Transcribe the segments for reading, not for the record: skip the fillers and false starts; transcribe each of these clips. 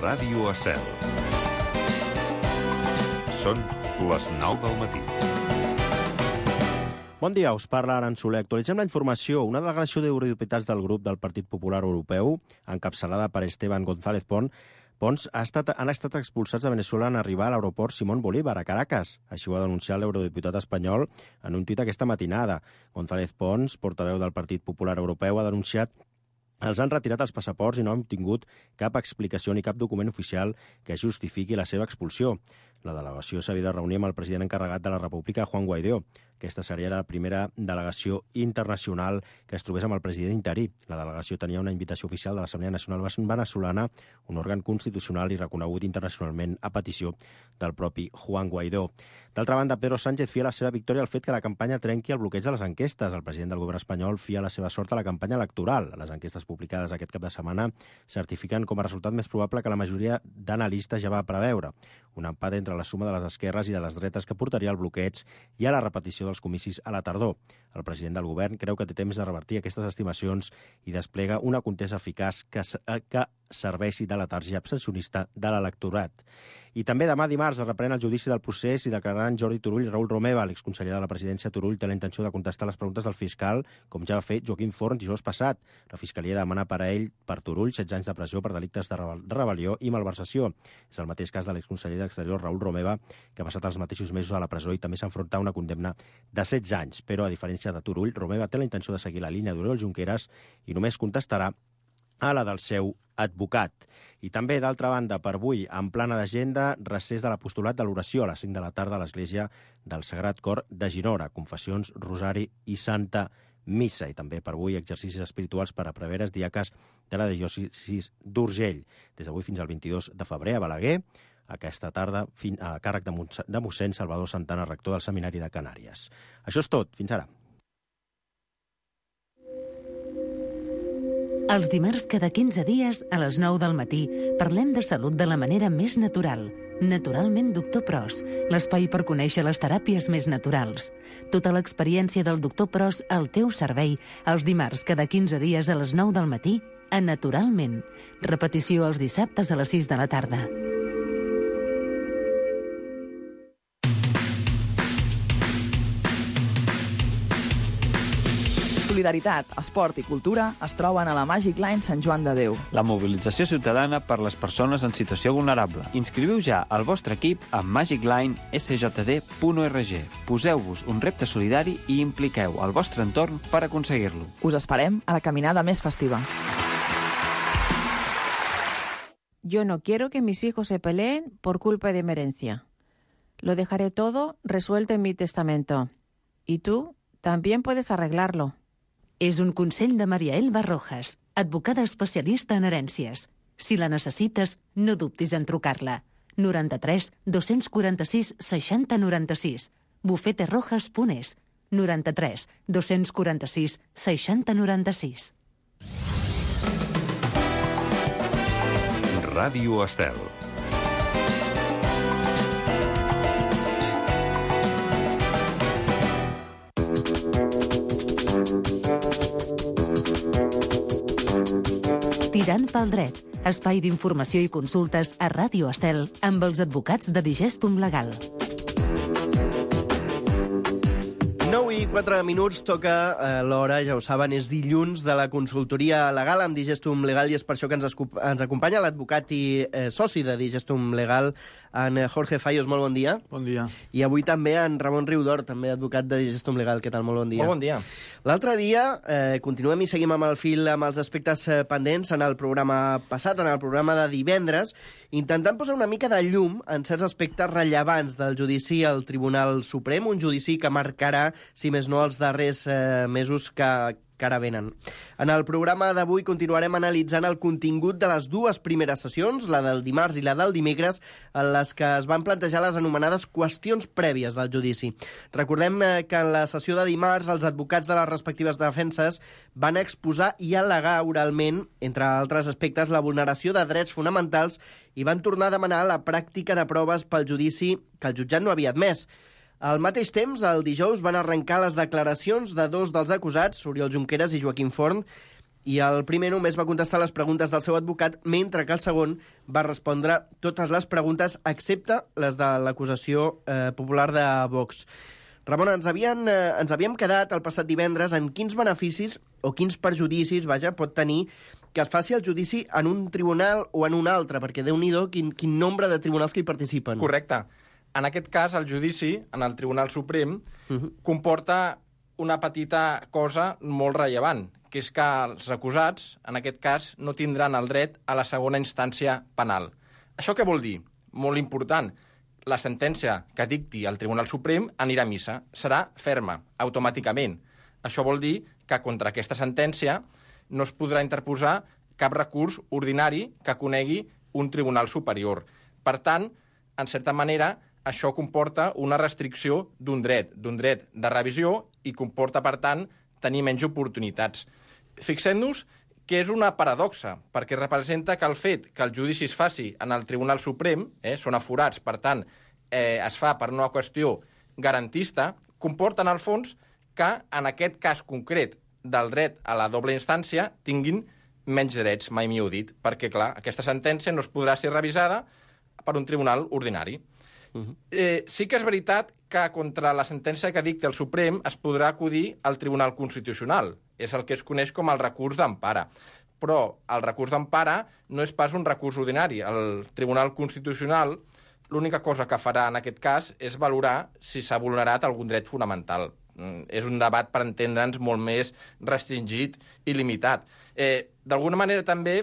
Ràdio Estel. Són les 9 del matí. Bon dia, us parla Aran Soler. Actualitzem la informació. Una delegació d'eurodiputats del grup del Partit Popular Europeu, encapçalada per Esteban González Pons, han estat expulsats de Venezuela en arribar a l'aeroport Simón Bolívar, a Caracas. Així ho ha denunciat l'eurodiputat espanyol en un tuit aquesta matinada. González Pons, portaveu del Partit Popular Europeu, ha denunciat els han retirat els passaports i no han obtingut cap explicació ni cap document oficial que justifiqui la seva expulsió. La delegació s'havia de reunir amb el president encarregat de la República, Juan Guaidó. Aquesta seria la primera delegació internacional que es trobés amb el president interí. La delegació tenia una invitació oficial de l'Assemblea Nacional Venezolana, un òrgan constitucional i reconegut internacionalment a petició del propi Juan Guaidó. D'altra banda, Pedro Sánchez fia la seva victòria al fet que la campanya trenqui el bloqueig de les enquestes. El president del govern espanyol fia la seva sort a la campanya electoral. Les enquestes publicades aquest cap de setmana certifiquen com a resultat més probable que la majoria d'analistes ja va preveure. Un empat entre la suma de les esquerres i de les dretes que portaria al bloqueig i a la repetició dels comicis a la tardor. El president del govern creu que té temps de revertir aquestes estimacions i desplega una contesa eficaç que serveixi de letargia abstencionista de l'electorat. I també demà dimarts es reprèn el judici del procés i declararan Jordi Turull i Raül Romeva. L'exconseller de la presidència Turull té la intenció de contestar les preguntes del fiscal, com ja va fer Joaquim Forn dijous passat. La fiscalia demana per Turull 16 anys de presó per delictes de rebel·lió i malversació. És el mateix cas de l'exconseller d'Exterior Raül Romeva, que ha passat els mateixos mesos a la presó i també s'enfronta a una condemna de 16 anys. Però, a diferència de Turull, Romeva té la intenció de seguir la línia d'Oriol Junqueras i només contestarà a la del seu advocat. I també, d'altra banda, per avui, en plana d'agenda, recés de l'apostolat de l'oració a les 5 de la tarda a l'Església del Sagrat Cor de Ginora, confessions, rosari i santa missa. I també per avui exercicis espirituals per a preveres diaques de la diòcesi d'Urgell. Des d'avui fins al 22 de febrer a Balaguer, aquesta tarda a càrrec de mossèn Salvador Santana, rector del Seminari de Canàries. Això és tot. Fins ara. Els dimarts cada 15 dies, a les 9 del matí, parlem de salut de la manera més natural. Naturalment Doctor Pros, l'espai per conèixer les teràpies més naturals. Tota l'experiència del Doctor Pros al teu servei, els dimarts cada 15 dies a les 9 del matí, a Naturalment. Repetició els dissabtes a les 6 de la tarda. Solidaritat, esport i cultura es troben a la Magic Line Sant Joan de Déu. La mobilització ciutadana per les persones en situació vulnerable. Inscriviu ja el vostre equip a magiclinesjd.org. Poseu-vos un repte solidari i impliqueu el vostre entorn per aconseguir-lo. Us esperem a la caminada més festiva. Yo no quiero que mis hijos se peleen por culpa de mi herencia. Lo dejaré todo resuelto en mi testamento. Y tú también puedes arreglarlo. És un consell de Maria Elba Rojas, advocada especialista en herències. Si la necessites, no dubtis en trucar-la. 93 246 60 96. bufeterojas.es. 93 246 60 96. Ràdio Estel. Tirant pel dret, espai d'informació i consultes a Ràdio Estel amb els advocats de Digestum Legal. 9 i 4 minuts, toca l'hora, ja ho saben, és dilluns de la consultoria legal amb Digestum Legal i és per això que ens acompanya l'advocat i soci de Digestum Legal, en Jorge Fallos. Molt bon dia. Bon dia. I avui també en Ramon Riudor, també advocat de Digestum Legal. Què tal? Molt bon dia. Molt bon dia. L'altre dia continuem i seguim amb el fil amb els aspectes pendents en el programa passat, en el programa de divendres, intentant posar una mica de llum en certs aspectes rellevants del judici al Tribunal Suprem, un judici que marcarà, si més no, els darrers mesos que ara venen. En el programa d'avui continuarem analitzant el contingut de les dues primeres sessions, la del dimarts i la del dimecres, en les que es van plantejar les anomenades qüestions prèvies del judici. Recordem que en la sessió de dimarts els advocats de les respectives defenses van exposar i al·legar oralment, entre altres aspectes, la vulneració de drets fonamentals i van tornar a demanar la pràctica de proves pel judici que el jutjat no havia admès. Al mateix temps, el dijous van arrencar les declaracions de dos dels acusats, Oriol Junqueras i Joaquim Forn, I el primer només va contestar les preguntes del seu advocat, mentre que el segon va respondre totes les preguntes, excepte les de l'acusació popular de Vox. Ramon, ens havíem quedat el passat divendres en quins beneficis o quins perjudicis, pot tenir que es faci el judici en un tribunal o en un altre, perquè Déu-n'hi-do quin nombre de tribunals que hi participen. Correcte. En aquest cas, el judici en el Tribunal Suprem comporta una petita cosa molt rellevant, que és que els acusats, en aquest cas, no tindran el dret a la segona instància penal. Això què vol dir? Molt important. La sentència que dicti el Tribunal Suprem anirà a missa. Serà ferma, automàticament. Això vol dir que contra aquesta sentència no es podrà interposar cap recurs ordinari que conegui un tribunal superior. Per tant, en certa manera, això comporta una restricció d'un dret de revisió i comporta, per tant, tenir menys oportunitats. Fixem-nos que és una paradoxa, perquè representa que el fet que el judici es faci en el Tribunal Suprem, són aforats, per tant, es fa per una qüestió garantista, comporta, en el fons, que en aquest cas concret del dret a la doble instància tinguin menys drets, mai millor dit, perquè, clar, aquesta sentència no es podrà ser revisada per un tribunal ordinari. Sí que és veritat que contra la sentència que dicta el Suprem es podrà acudir al Tribunal Constitucional. És el que es coneix com el recurs d'empara. Però el recurs d'empara no és pas un recurs ordinari. El Tribunal Constitucional l'única cosa que farà en aquest cas és valorar si s'ha vulnerat algun dret fonamental. És un debat, per entendre'ns, molt més restringit i limitat. D'alguna manera també,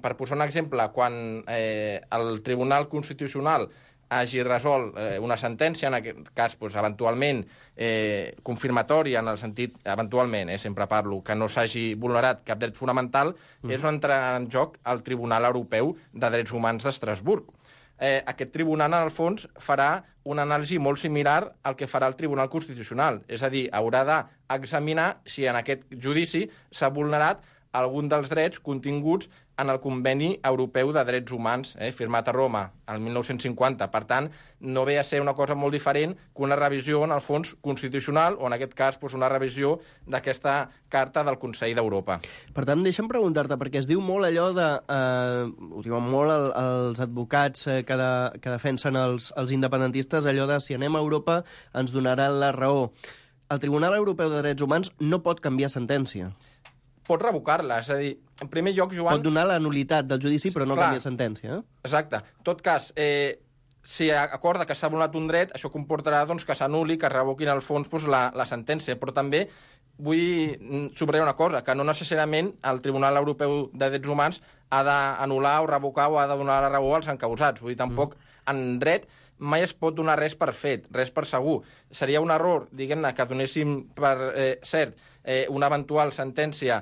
per posar un exemple, quan el Tribunal Constitucional hagi resolt una sentència, en aquest cas, eventualment confirmatòria, en el sentit, eventualment, sempre parlo, que no s'hagi vulnerat cap dret fonamental, és on entrarà en joc el Tribunal Europeu de Drets Humans d'Estrasburg. Aquest tribunal, en el fons, farà una anàlisi molt similar al que farà el Tribunal Constitucional. És a dir, haurà d'examinar si en aquest judici s'ha vulnerat algun dels drets continguts en el Conveni Europeu de Drets Humans, firmat a Roma el 1950. Per tant, no ve a ser una cosa molt diferent que una revisió, en el fons, constitucional, o en aquest cas una revisió d'aquesta Carta del Consell d'Europa. Per tant, deixa'm preguntar-te, perquè es diu molt allò de... ho diuen molt els advocats que defensen els independentistes, allò de si anem a Europa ens donaran la raó. El Tribunal Europeu de Drets Humans no pot canviar sentència. Pot revocar-la, és a dir, en primer lloc, Joan... Pot donar la nulitat del judici, però no canvia sentència. Exacte. En tot cas, si acorda que s'ha vulnerat un dret, això comportarà que s'anul·li, que es revoquin al fons la sentència. Però també vull subratllar una cosa, que no necessàriament el Tribunal Europeu de Drets Humans ha d'anul·lar o revocar o ha de donar la raó als encausats. Vull dir, tampoc en dret mai es pot donar res per fet, res per segur. Seria un error, diguem-ne, que donéssim per cert una eventual sentència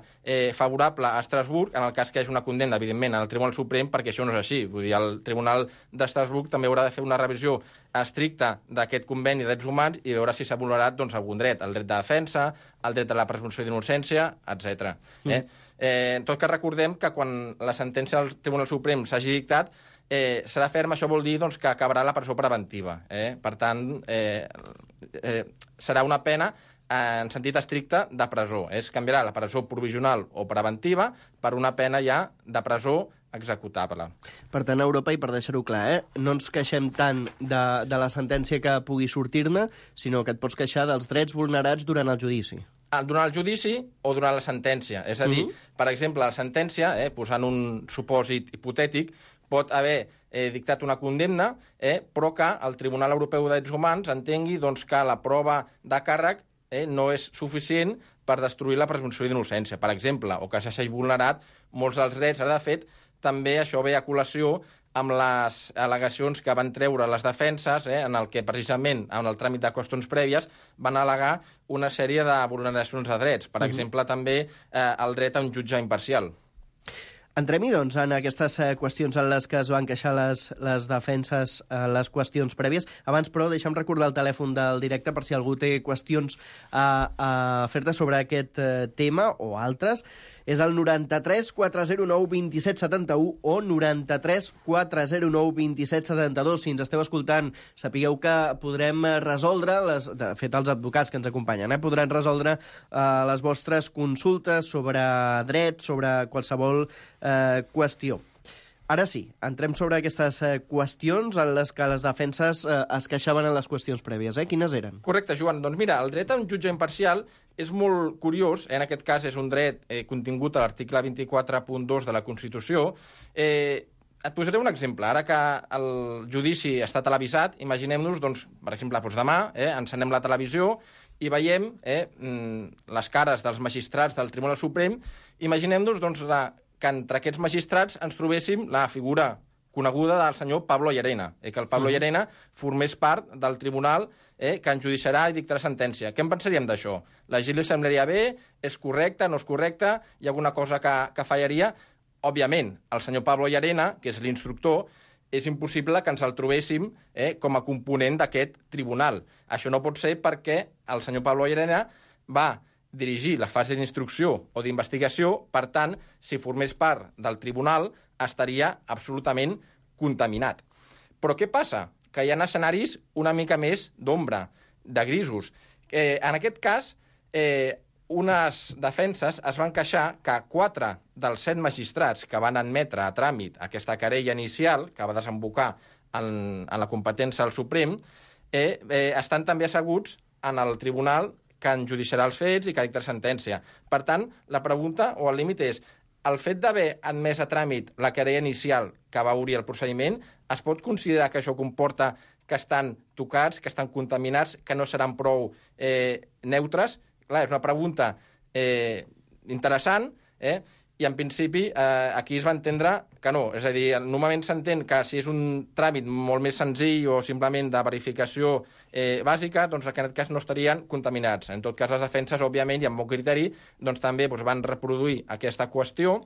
favorable a Estrasburg, en el cas que hi hagi una condemna, evidentment, al Tribunal Suprem, perquè això no és així. Vull dir, el Tribunal d'Estrasburg també haurà de fer una revisió estricta d'aquest conveni de drets humans i veure si s'ha vulnerat algun dret, el dret de defensa, el dret a la presumpció d'innocència, etc. En tot cas, recordem que quan la sentència del Tribunal Suprem s'hagi dictat, serà ferma, això vol dir que acabarà la presó preventiva. Per tant, serà una pena en sentit estricte de presó. Es canviarà la presó provisional o preventiva per una pena ja de presó executable. Per tant, a Europa, i per deixar-ho clar, no ens queixem tant de la sentència que pugui sortir-ne, sinó que et pots queixar dels drets vulnerats durant el judici. Durant el judici o durant la sentència. És a dir, per exemple, la sentència, posant un supòsit hipotètic, pot haver dictat una condemna, però que el Tribunal Europeu de Drets Humans entengui que la prova de càrrec no és suficient per destruir la presumpció d'innocència, per exemple, o que s'hagi vulnerat molts dels drets. De fet, també això ve a col·lació amb les al·legacions que van treure les defenses, en el que precisament en el tràmit de qüestions prèvies van al·legar una sèrie de vulneracions de drets. Per exemple, també el dret a un jutge imparcial. Entrem-hi, doncs, en aquestes qüestions en les que es van queixar les defenses, les qüestions prèvies. Abans, però, deixa'm recordar el telèfon del directe per si algú té qüestions a fer-te sobre aquest tema o altres. És el 93 409 27 71 o 93 409 27 72. Si ens esteu escoltant, sapigueu que podrem resoldre, de fet, els advocats que ens acompanyen, podran resoldre les vostres consultes sobre dret, sobre qualsevol qüestió. Ara sí, entrem sobre aquestes qüestions en les que les defenses es queixaven en les qüestions prèvies. Quines eren? Correcte, Joan. Doncs mira, el dret a un jutge imparcial és molt curiós. En aquest cas és un dret contingut a l'article 24.2 de la Constitució. Et posaré un exemple. Ara que el judici està televisat, imaginem-nos, doncs, per exemple, demà encenem la televisió i veiem les cares dels magistrats del Tribunal Suprem. Imaginem-nos doncs, que entre aquests magistrats ens trobéssim la figura coneguda del senyor Pablo Llarena, que el Pablo Llarena formés part del tribunal que enjudiciarà i dictarà sentència. Què en pensaríem d'això? La gent li semblaria bé? És correcte? No és correcte? Hi ha alguna cosa que fallaria? Òbviament, el senyor Pablo Llarena, que és l'instructor, és impossible que ens el trobéssim com a component d'aquest tribunal. Això no pot ser perquè el senyor Pablo Llarena va dirigir la fase d'instrucció o d'investigació, per tant, si formés part del tribunal, estaria absolutament contaminat. Però què passa? Que hi ha escenaris una mica més d'ombra, de grisos. En aquest cas, unes defenses es van queixar que 4 dels 7 magistrats que van admetre a tràmit aquesta querella inicial, que va desembocar en la competència del Suprem, estan també asseguts en el tribunal que enjudiciarà els fets i que dictarà sentència. Per tant, la pregunta o el límit és: el fet d'haver admès a tràmit la querella inicial que va obrir el procediment, es pot considerar que això comporta que estan tocats, que estan contaminats, que no seran prou neutres? Clar, és una pregunta interessant, i en principi aquí es va entendre que no. És a dir, normalment s'entén que si és un tràmit molt més senzill o simplement de verificació bàsica, doncs en aquest cas no estarien contaminats. En tot cas, les defenses, òbviament, i amb bon criteri, doncs també van reproduir aquesta qüestió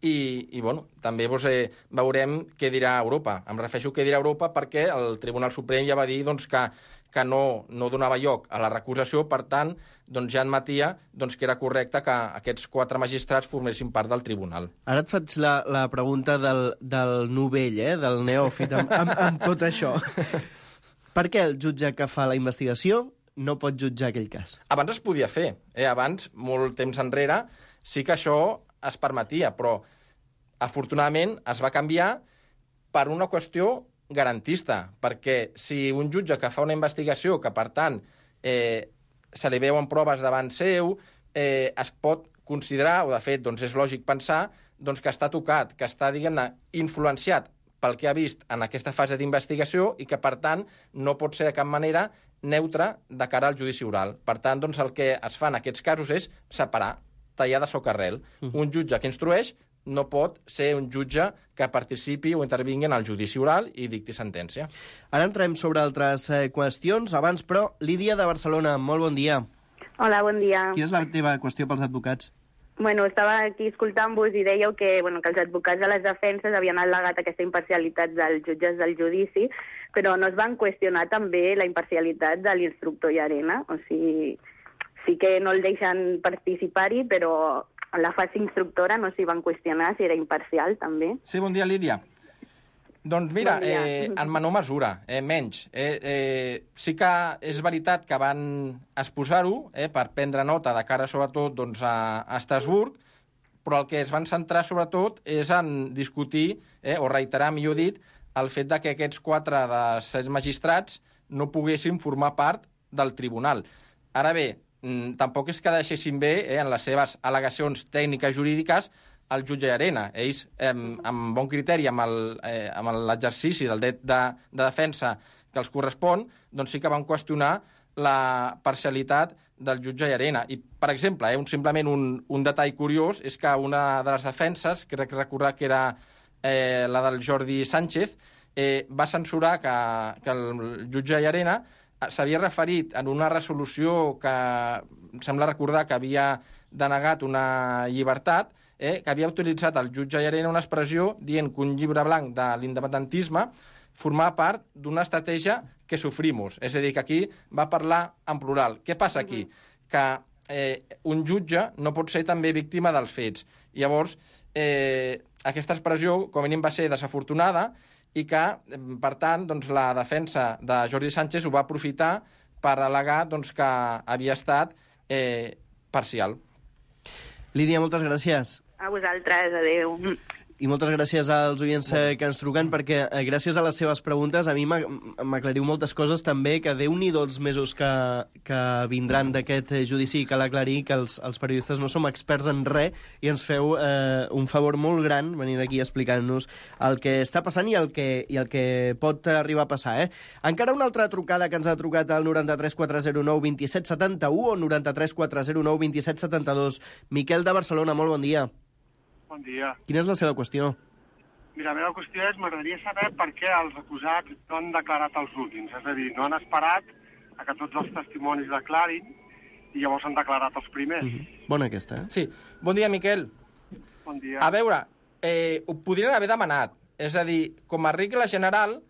i bueno, també veurem què dirà Europa. Em refereixo a què dirà Europa perquè el Tribunal Suprem ja va dir doncs, que no donava lloc a la recusació, per tant, doncs ja admetia que era correcte que aquests 4 magistrats formessin part del tribunal. Ara et faig la pregunta del novell, del neòfit, amb tot això. Per què el jutge que fa la investigació no pot jutjar aquell cas? Abans es podia fer. Abans, molt temps enrere, sí que això es permetia, però afortunadament es va canviar per una qüestió garantista, perquè si un jutge que fa una investigació, que per tant se li veuen proves davant seu, es pot considerar, o de fet doncs és lògic pensar, doncs que està tocat, que està, diguem-ne, influenciat pel que ha vist en aquesta fase d'investigació i que, per tant, no pot ser de cap manera neutre de cara al judici oral. Per tant, doncs, el que es fa en aquests casos és separar, tallar de socarrel. Un jutge que instrueix no pot ser un jutge que participi o intervingui en el judici oral i dicti sentència. Ara entrem sobre altres qüestions. Abans, però, Lídia de Barcelona, molt bon dia. Hola, bon dia. Quina és la teva qüestió pels advocats? Bueno, estava aquí escoltant-vos i dèieu que els advocats de les defenses havien al·legat aquesta imparcialitat dels jutges del judici, però no es van qüestionar també la imparcialitat de l'instructor Llarena. O sigui, sí que no el deixen participar-hi, però en la fase instructora no s'hi van qüestionar si era imparcial, també. Sí, bon dia, Lídia. Doncs mira, en menor mesura, menys. Sí que és veritat que van exposar-ho per prendre nota de cara sobretot doncs, a Estrasburg, però el que es van centrar sobretot és en discutir, o reiterar, millor dit, el fet de que aquests 4 de 7 magistrats no poguessin formar part del tribunal. Ara bé, tampoc és que deixessin bé en les seves al·legacions tècniques jurídiques el jutge Llarena. Ells, amb bon criteri, amb l'exercici del dret de defensa que els correspon, doncs sí que van qüestionar la parcialitat del jutge Llarena. I, per exemple, simplement un detall curiós és que una de les defenses, crec recordar que era la del Jordi Sánchez, va censurar que el jutge Llarena s'havia referit en una resolució que sembla recordar que havia denegat una llibertat, que havia utilitzat el jutge Llarena una expressió dient que un llibre blanc de l'independentisme formava part d'una estratègia que sofrimos. És a dir, que aquí va parlar en plural. Què passa aquí? Que un jutge no pot ser també víctima dels fets. Llavors, aquesta expressió, com a mínim, va ser desafortunada i que, per tant, doncs, la defensa de Jordi Sánchez ho va aprofitar per al·legar doncs, que havia estat parcial. Lídia, moltes gràcies. A vosaltres, adeu. I moltes gràcies als oients que ens truquen, perquè gràcies a les seves preguntes a mi m'aclariu moltes coses també, que Déu-n'hi-do els mesos que vindran d'aquest judici i cal aclarir que els periodistes no som experts en res i ens feu un favor molt gran venint aquí explicant-nos el que està passant i el que pot arribar a passar. Encara una altra trucada que ens ha trucat al 93 409 27 71 o 93 409 27 72. Miquel de Barcelona, molt bon dia. Bon dia. Quina és la seva qüestió? Mira, la meva qüestió és, m'agradaria saber per què els acusats no han declarat els últims. És a dir, no han esperat a que tots els testimonis declarin i llavors han declarat els primers. Bona aquesta, Sí. Bon dia, Miquel. Bon dia. A veure, ho podrien haver demanat. És a dir, com a regla general,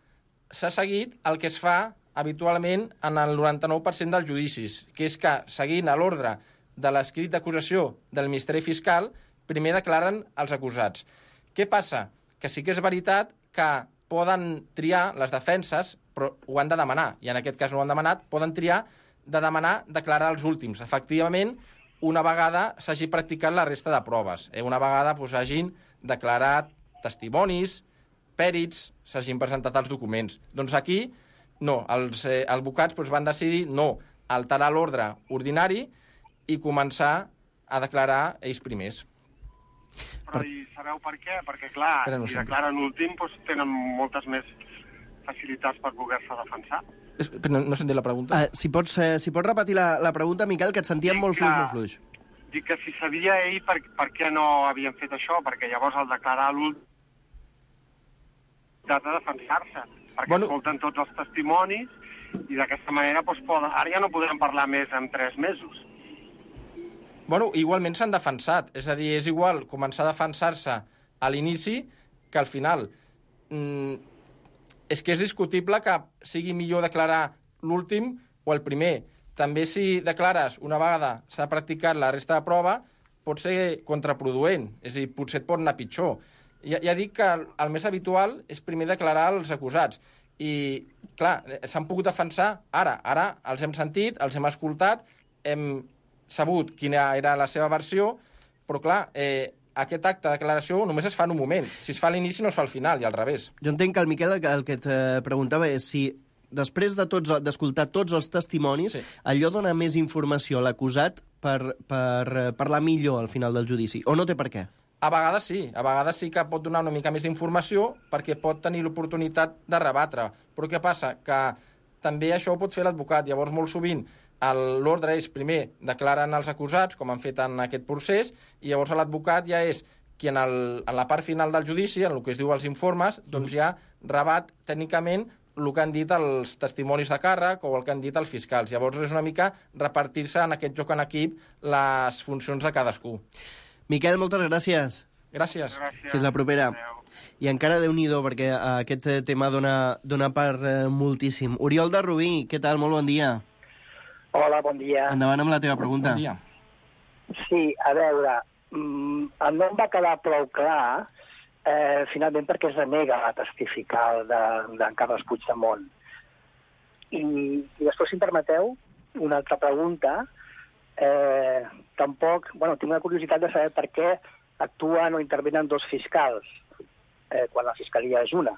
s'ha seguit el que es fa habitualment en el 99% dels judicis, que és que, seguint a l'ordre de l'escrit d'acusació del Ministeri Fiscal, primer declaren els acusats. Què passa? Que sí que és veritat que poden triar les defenses, però ho han de demanar, i en aquest cas no ho han demanat, poden triar de demanar declarar els últims. Efectivament, una vegada s'hagi practicat la resta de proves. Una vegada hagin declarat testimonis, pèrits, s'hagin presentat els documents. Doncs aquí, no, els advocats van decidir no alterar l'ordre ordinari i començar a declarar ells primers. Però i sabeu per què? Perquè, clar, si declaren l'últim, tenen moltes més facilitats per poder-se defensar. No s'entén la pregunta. Si pots repetir la pregunta, Miquel, que et sentíem molt fluix. Dic que si sabia ell per què no havien fet això, perquè llavors al declarar l'últim ha de defensar-se, perquè escolten tots els testimonis i d'aquesta manera ara ja no podrem parlar més en 3 mesos. Igualment s'han defensat. És a dir, és igual començar a defensar-se a l'inici que al final. És que és discutible que sigui millor declarar l'últim o el primer. També si declares una vegada s'ha practicat la resta de prova, pot ser contraproduent. És a dir, potser et pot anar pitjor. Ja dic que el més habitual és primer declarar els acusats. I, clar, s'han pogut defensar ara. Ara els hem sentit, els hem escoltat, hem sabut quina era la seva versió, però clar, aquest acte de declaració només es fa en un moment. Si es fa a l'inici no es fa al final, i al revés. Jo entenc que el Miquel el que et preguntava és si després d'escoltar tots els testimonis, allò dona més informació a l'acusat per parlar millor al final del judici, o no té per què? A vegades sí que pot donar una mica més d'informació perquè pot tenir l'oportunitat de rebatre. Però què passa? Que també això ho pot fer l'advocat. Llavors, molt sovint, l'ordre és, primer, declaren els acusats, com han fet en aquest procés, i llavors l'advocat ja és qui en la part final del judici, en el que es diu els informes, doncs ja rebat tècnicament el que han dit els testimonis de càrrec o el que han dit els fiscals. Llavors és una mica repartir-se en aquest joc en equip les funcions de cadascú. Miquel, moltes gràcies. Gràcies. Fins la propera. I encara Déu-n'hi-do, perquè aquest tema dona per moltíssim. Oriol de Rubí, què tal? Molt bon dia. Hola, bon dia. Endavant amb la teva pregunta. Bon dia. Sí, a veure, no em va quedar prou clar, finalment, perquè es denega a testificar d'en Carles Puigdemont. I després, si em permeteu, una altra pregunta. Tampoc, tinc una curiositat de saber per què actuen o intervenen 2 fiscals, quan la fiscalia és una.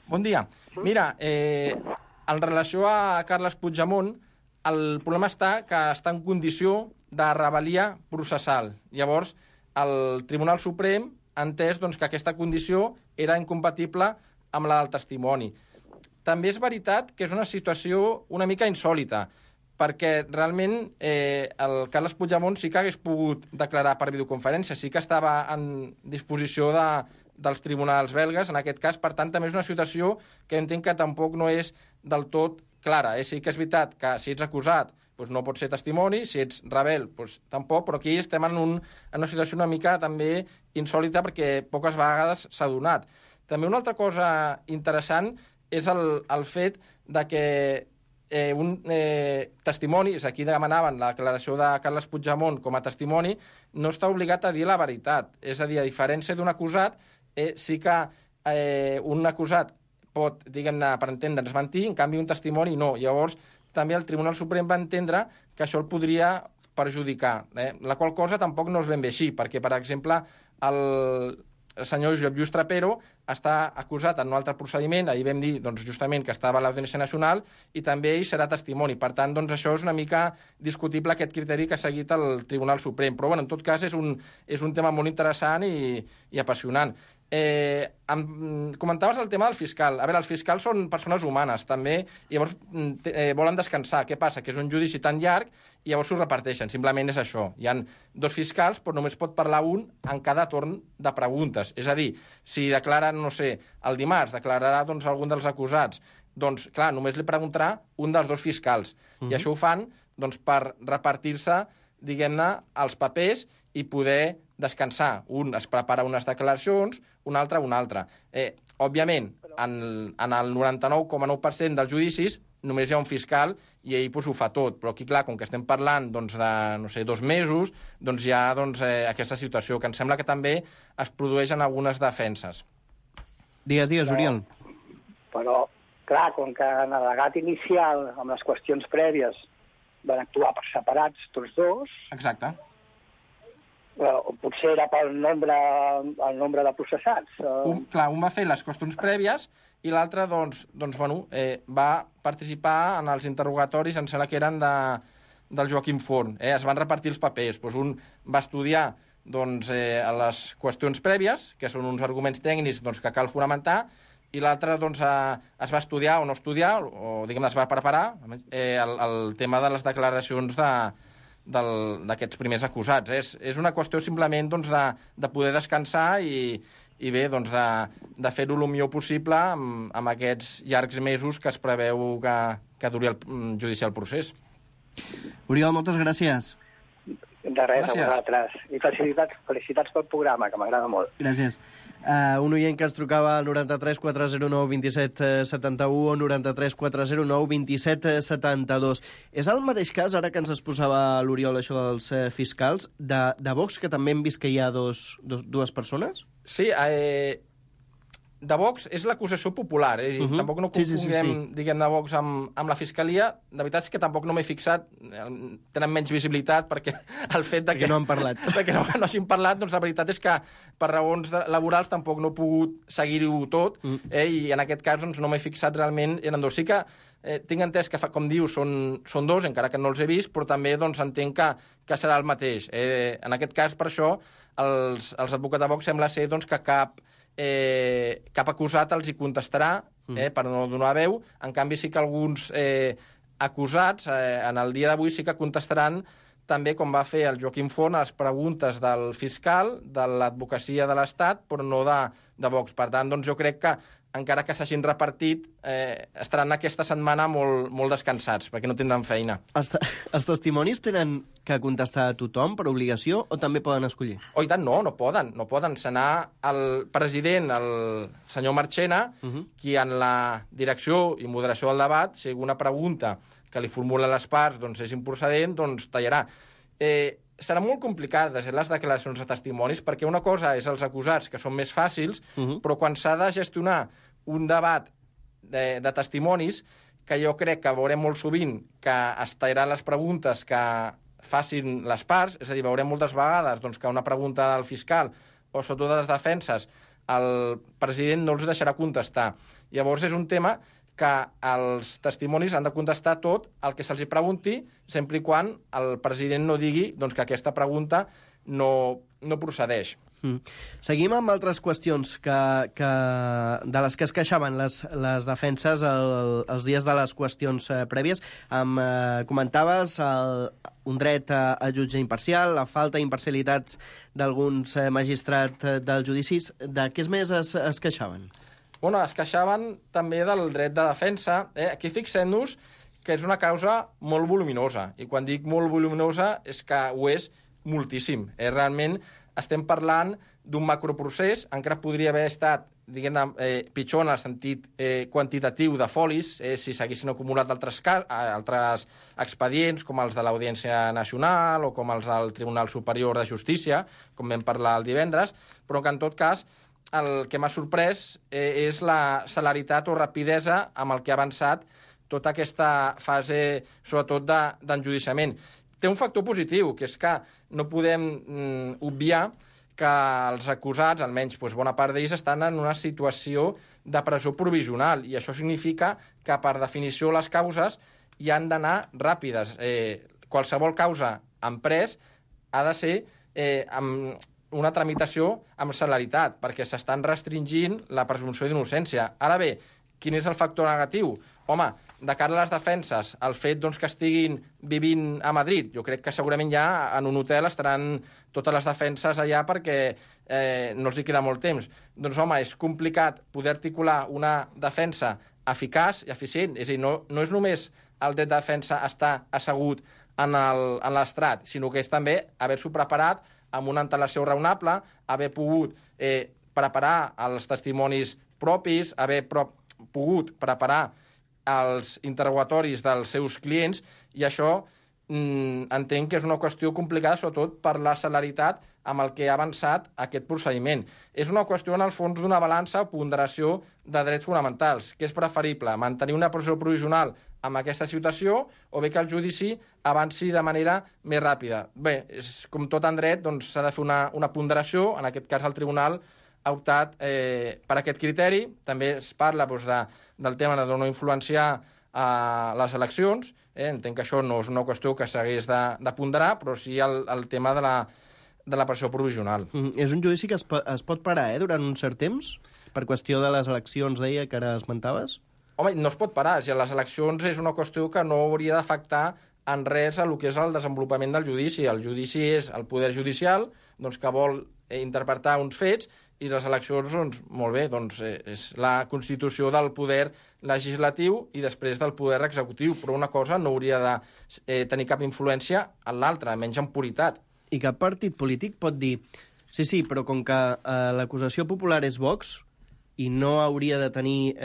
Bon dia. Mira, en relació a Carles Puigdemont, el problema està que està en condició de rebel·lia processal. Llavors, el Tribunal Suprem ha entès que aquesta condició era incompatible amb la del testimoni. També és veritat que és una situació una mica insòlita, perquè realment el Carles Puigdemont sí que hagués pogut declarar per videoconferència, sí que estava en disposició dels tribunals belgues, en aquest cas, per tant, també és una situació que entenc que tampoc no és del tot clara. Sí que és veritat que si ets acusat no pots ser testimoni, si ets rebel tampoc, però aquí estem en una situació una mica també insòlita perquè poques vegades s'ha donat. També una altra cosa interessant és el fet de que un testimoni, és aquí demanaven la declaració de Carles Puigdemont com a testimoni, no està obligat a dir la veritat. És a dir, a diferència d'un acusat, sí que un acusat pot, diguem-ne, per entendre'ns, mentir, en canvi un testimoni no. Llavors, també el Tribunal Suprem va entendre que això el podria perjudicar, la qual cosa tampoc no és ben bé així, perquè, per exemple, el senyor Josep Lluís Trapero està acusat en un altre procediment, ahir vam dir doncs, justament que estava a l'Audiència Nacional, i també ell serà testimoni. Per tant, doncs, això és una mica discutible, aquest criteri que ha seguit el Tribunal Suprem. Però, bueno, en tot cas, és un tema molt interessant i apassionant. Comentaves el tema del fiscal. A veure, els fiscals són persones humanes, també, i llavors volen descansar. Què passa? Que és un judici tan llarg i llavors s'ho reparteixen. Simplement és això. Hi ha 2 fiscals, però només pot parlar un en cada torn de preguntes. És a dir, si declaren, no sé, el dimarts, declararà doncs, algun dels acusats, doncs, clar, només li preguntarà un dels 2 fiscals. I això ho fan doncs, per repartir-se, diguem-ne, els papers i poder descansar. Un es prepara unes declaracions, un altre una altra. Òbviament, en el 99,9% dels judicis només hi ha un fiscal i ell ho fa tot. Però aquí, clar, com que estem parlant doncs, de, no sé, 2 mesos, doncs hi ha aquesta situació, que em sembla que també es produeix en algunes defenses. Digues, Oriol. Però, clar, com que en el legat inicial, amb les qüestions prèvies, van actuar per separats tots 2... Exacte. Potser era pel nombre de processats. Un va fer les qüestions prèvies i l'altre va participar en els interrogatoris, em sembla que eren del Joaquim Forn. Es van repartir els papers. Un va estudiar les qüestions prèvies, que són uns arguments tècnics que cal fonamentar, i l'altre es va estudiar o no estudiar, o diguem-ne es va preparar el tema de les declaracions d'aquests primers acusats. És una qüestió simplement de poder descansar i bé, de fer-ho el millor possible amb aquests llargs mesos que es preveu que duri el judicial procés. Oriol, moltes gràcies. De res, a vosaltres. I felicitats pel programa, que m'agrada molt. Gràcies. Un oient que ens trucava al 93 409 27 71 o 93 409 27 72. És el mateix cas, ara que ens exposava l'Oriol això dels fiscals, de Vox, que també hem vist que hi ha dues persones? Sí, de Vox és l'acusació popular, tampoc no confonguem, diguem, de Vox amb la Fiscalia. De veritat és que tampoc no m'he fixat, tenen menys visibilitat perquè el fet de que no han parlat. Que no hagin parlat, doncs la veritat és que per raons laborals tampoc no he pogut seguir-ho tot, i en aquest cas doncs, no m'he fixat realment en 2. Sí que tinc entès que, com diu, són 2, encara que no els he vist, però també doncs, entenc que serà el mateix. En aquest cas, per això, els advocats de Vox sembla ser doncs, que cap acusat els hi contestarà per no donar veu. En canvi, sí que alguns acusats en el dia d'avui sí que contestaran també, com va fer el Joaquim Forn, a les preguntes del fiscal, de l'advocacia de l'Estat, però no de Vox. Per tant, doncs, jo crec que, encara que s'hagin repartit, estaran aquesta setmana molt descansats, perquè no tindran feina. Els testimonis tenen que contestar a tothom per obligació o també poden escollir? Oh, i tant, no poden. No poden. Serà el president, el senyor Marchena, qui en la direcció i moderació del debat, si alguna pregunta que li formulen les parts doncs, és improcedent, doncs tallarà. Serà molt complicat de les declaracions de testimonis, perquè una cosa és els acusats, que són més fàcils, però quan s'ha de gestionar un debat de testimonis, que jo crec que veurem molt sovint que es tallaran les preguntes que facin les parts, és a dir, veurem moltes vegades doncs, que una pregunta del fiscal o sobretot de les defenses el president no els deixarà contestar. Llavors és un tema que els testimonis han de contestar tot el que se'ls pregunti, sempre i quan el president no digui doncs, que aquesta pregunta no procedeix. Seguim amb altres qüestions de les que es queixaven les defenses els dies de les qüestions prèvies. Comentaves un dret a jutge imparcial, la falta d'imparcialitats d'alguns magistrats dels judicis. De què més es queixaven? Bueno, es queixaven també del dret de defensa. Aquí fixem-nos que és una causa molt voluminosa. I quan dic molt voluminosa és que ho és moltíssim. Realment estem parlant d'un macroprocés, encara podria haver estat pitjor en el sentit quantitatiu de folis, si s'haguessin acumulat altres expedients, com els de l'Audiència Nacional o com els del Tribunal Superior de Justícia, com vam parlar el divendres, però que en tot cas el que m'ha sorprès és la celeritat o rapidesa amb el que ha avançat tota aquesta fase, sobretot d'enjudiciament. Té un factor positiu, que és que no podem obviar que els acusats, almenys bona part d'ells, estan en una situació de presó provisional, i això significa que, per definició, les causes hi han d'anar ràpides. Qualsevol causa en pres ha de ser amb una tramitació amb celeritat, perquè s'estan restringint la presumpció d'innocència. Ara bé, quin és el factor negatiu? Home, de cara a les defenses, el fet que estiguin vivint a Madrid, jo crec que segurament ja en un hotel estaran totes les defenses allà perquè no els hi queda molt temps. Doncs, home, és complicat poder articular una defensa eficaç i eficient. És a dir, no és només el dret de defensa estar assegut en l'estrat, sinó que és també haver-s'ho preparat amb una antelació raonable, haver pogut preparar els testimonis propis, haver pogut preparar els interrogatoris dels seus clients, i això entenc que és una qüestió complicada, sobretot per la celeritat amb el que ha avançat aquest procediment. És una qüestió, en el fons, d'una balança o ponderació de drets fonamentals. Què és preferible? Mantenir una presó provisional en aquesta situació o bé que el judici avanci de manera més ràpida? Bé, com tot en dret, s'ha de fer una ponderació. En aquest cas, el tribunal ha optat per aquest criteri. També es parla del tema de no influenciar les eleccions. Entenc que això no és una qüestió que s'hagués de ponderar, però sí el tema de la presó provisional. És un judici que es pot parar durant un cert temps? Per qüestió de les eleccions, deia, que ara esmentaves? Home, no es pot parar. Les eleccions és una qüestió que no hauria d'afectar en res a el que és el desenvolupament del judici. El judici és el poder judicial que vol interpretar uns fets, i les eleccions, molt bé, és la constitució del poder legislatiu i després del poder executiu, però una cosa no hauria de tenir cap influència en l'altra, menys en puritat. I cap partit polític pot dir sí, però com que l'acusació popular és Vox i no hauria de tenir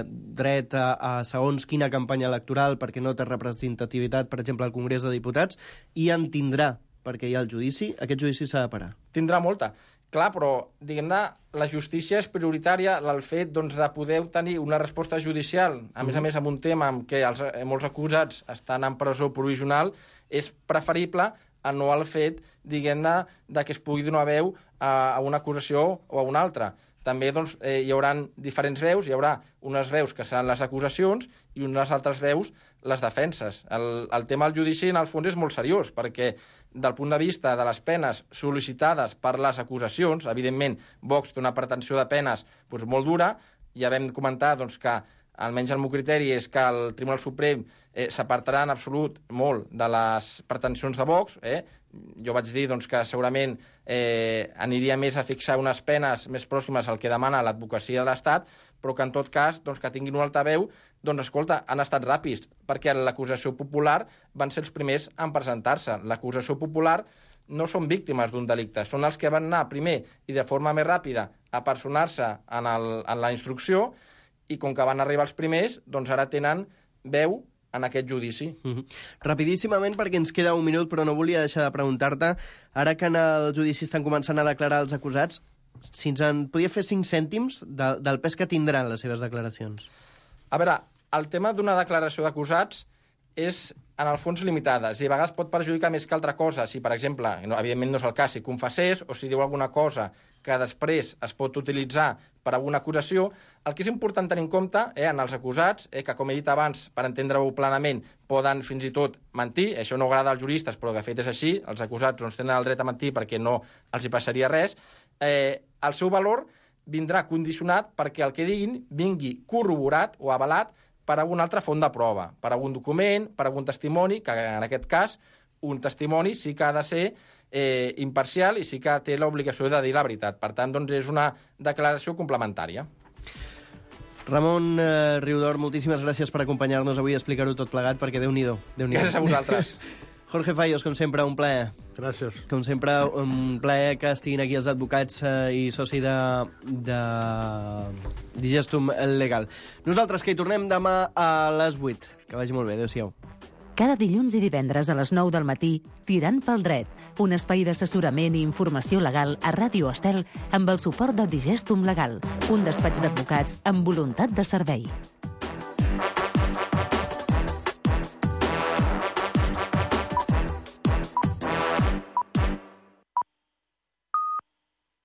dret a segons quina campanya electoral perquè no té representativitat, per exemple, al Congrés de Diputats, i en tindrà perquè hi ha el judici, aquest judici s'ha de parar. Tindrà molta. Clar, però, diguem-ne, la justícia és prioritària, el fet de poder obtenir una resposta judicial, a més amb un tema en què molts acusats estan en presó provisional, és preferible a no el fet, diguem-ne, que es pugui donar veu a una acusació o a una altra. També hi haurà diferents veus, hi haurà unes veus que seran les acusacions i unes altres veus les defenses. El tema del judici, en el fons, és molt seriós, perquè del punt de vista de les penes sol·licitades per les acusacions, evidentment, Vox té una pretensió de penes molt dura. Ja vam comentar que, almenys el meu criteri, és que el Tribunal Suprem s'apartarà en absolut molt de les pretensions de Vox. Jo vaig dir que segurament aniria més a fixar unes penes més pròximes al que demana l'advocacia de l'Estat, però que en tot cas que tinguin un altaveu, escolta, han estat ràpids, perquè l'acusació popular van ser els primers en presentar-se. L'acusació popular no són víctimes d'un delicte, són els que van anar primer i de forma més ràpida a personar-se en la instrucció, i com que van arribar els primers, ara tenen veu en aquest judici. Rapidíssimament, perquè ens queda un minut, però no volia deixar de preguntar-te, ara que en el judici estan començant a declarar els acusats, si ens en podia fer 5 cèntims del pes que tindran les seves declaracions. A veure, el tema d'una declaració d'acusats és, en el fons, limitada. I a vegades pot perjudicar més que altra cosa. Si, per exemple, evidentment no és el cas, si confessés o si diu alguna cosa que després es pot utilitzar per alguna acusació, el que és important tenir en compte en els acusats, que, com he dit abans, per entendre-ho plenament, poden fins i tot mentir. Això no agrada als juristes, però de fet és així. Els acusats tenen el dret a mentir perquè no els hi passaria res. El seu valor vindrà condicionat perquè el que diguin vingui corroborat o avalat per alguna altra font de prova, per algun document, per algun testimoni, que en aquest cas un testimoni sí que ha de ser imparcial i sí que té l'obligació de dir la veritat. Per tant, és una declaració complementària. Ramon Riudor, moltíssimes gràcies per acompanyar-nos avui i explicar-ho tot plegat, perquè Déu-n'hi-do. Gràcies a vosaltres. Jorge Fallos, com sempre, un plaer. Gràcies. Com sempre, un plaer que estiguin aquí els advocats i soci de Digestum Legal. Nosaltres que hi tornem demà a les 8. Que vagi molt bé, adéu-siau. Cada dilluns i divendres a les 9 del matí, Tirant pel dret, un espai d'assessorament i informació legal a Ràdio Estel amb el suport de Digestum Legal, un despatx d'advocats amb voluntat de servei.